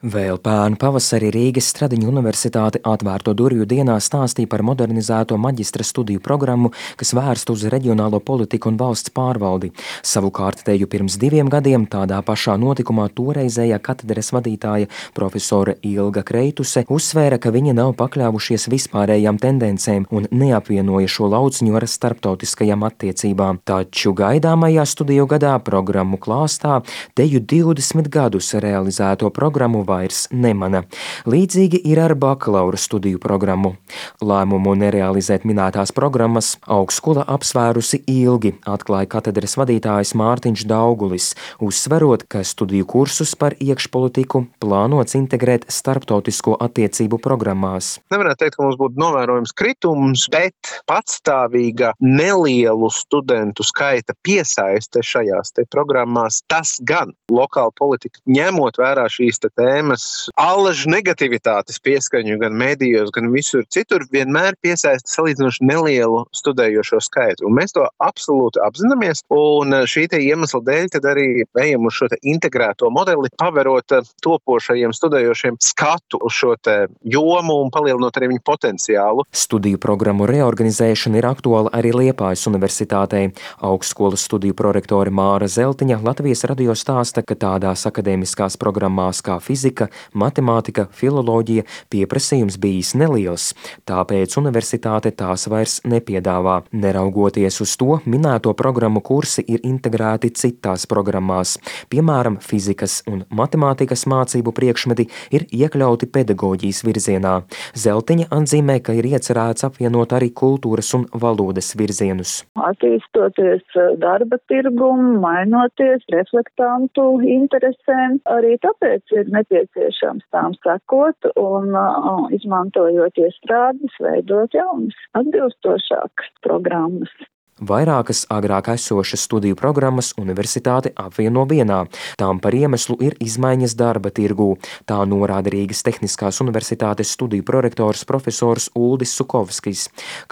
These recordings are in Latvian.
Vēl pērn pavasarī Rīgas Stradiņu universitāte atvērto durvju dienā stāstīja par modernizēto maģistra studiju programmu, kas vērsta uz reģionālo politiku un valsts pārvaldi. Savukārt teju pirms 2 gadiem tādā pašā notikumā toreizējā katedres vadītāja profesore Ilga Kreituse uzsvēra, ka viņi nav pakļāvušies vispārējām tendencēm un neapvienoja šo lauciņu ar starptautiskajām attiecībām. Taču gaidāmajā studiju gadā programmu klāstā teju 20 gadus realizēto programmu vairs nemana. Līdzīgi ir ar bakalaura studiju programmu. Lēmumu nerealizēt minētās programmas augstskola apsvērusi ilgi, atklāja katedres vadītājs Mārtiņš Daugulis, uzsverot, ka studiju kursus par iekšpolitiku plānots integrēt starptautisko attiecību programmās. Nevarētu teikt, ka mums būtu novērojams kritums, bet patstāvīga nelielu studentu skaita piesaiste šajās programmās, tas gan lokāla politika, ņemot vērā šīs tēmas, allažu negativitātes pieskaņu gan medijos, gan visur citur, vienmēr piesaista salīdzinoši nelielu studējošo skaitu. Un mēs to absolūti apzināmies, un šī iemesla dēļ tad arī ejam uz šo integrēto modeli, paverot topošajiem studējošiem skatu uz šo jomu un palielinot arī viņu potenciālu. Studiju programmu reorganizēšana ir aktuāla arī Liepājas universitātei. Augstskolas studiju prorektore Māra Zeltiņa Latvijas radio stāsta, ka tādās akadēmiskās programmās kā fizika, matemātika, filoloģija pieprasījums bijis neliels, tāpēc universitāte tās vairs nepiedāvā. Neraugoties uz to, minēto programmu kursi ir integrēti citās programmās. Piemēram, fizikas un matemātikas mācību priekšmeti ir iekļauti pedagoģijas virzienā. Zeltiņa atzīmē, ka ir iecerēts apvienot arī kultūras un valodas virzienus. Attīstoties darba tirgumu, mainoties reflektantu interesēm, arī tāpēc ir nepieciešams tām sekot un izmantojot iestrādes, veidot jaunas, atbilstošākas programmas. Vairākas agrāk esošas studiju programmas universitāte apvieno vienā. Tām par iemeslu ir izmaiņas darba tirgū. Tā norāda Rīgas Tehniskās universitātes studiju prorektors profesors Uldis Sukovskis.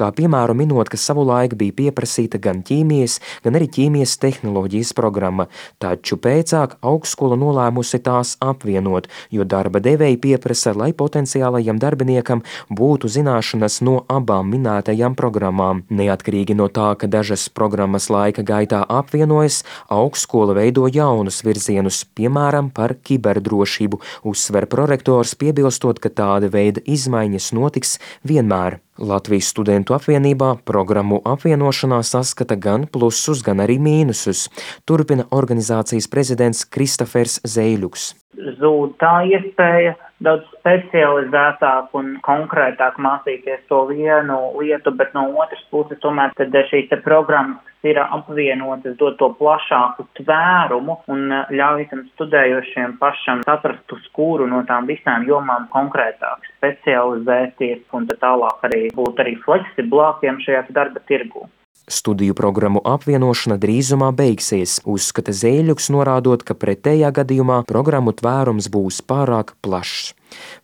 Kā piemēru minot, ka savulaik bija pieprasīta gan ķīmijas, gan arī ķīmijas tehnoloģijas programma, taču pēcāk augstskola nolēmusi tās apvienot, jo darba devēji pieprasa, lai potenciālajam darbiniekam būtu zināšanas no abām minētajām programmām. Neatkarīgi no tā, ka dažas programmas laika gaitā apvienojas, augstskola veido jaunus virzienus, piemēram, par kiberdrošību, uzsver prorektors, piebilstot, ka tāda veida izmaiņas notiks vienmēr. Latvijas studentu apvienībā programmu apvienošanā saskata gan plusus, gan arī mīnusus, turpina organizācijas prezidents Kristofers Zeiļuks. Zūd tā iespēja daudz specializētāk un konkrētāk mācīties to vienu lietu, bet no otras puses tomēr tad šīs programmas ir apvienotas, dod to plašāku tvērumu un ļauj tam studējošiem pašam saprast, uz kuru no tām visām jomām konkrētāk specializēties un tad tālāk arī būt arī fleksiblākiem šajā darba tirgū. Studiju programmu apvienošana drīzumā beigsies, uzskata Zeiļuks, norādot, ka pretējā gadījumā programmu tvērums būs pārāk plašs.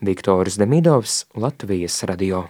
Viktors Demidovs, Latvijas radio.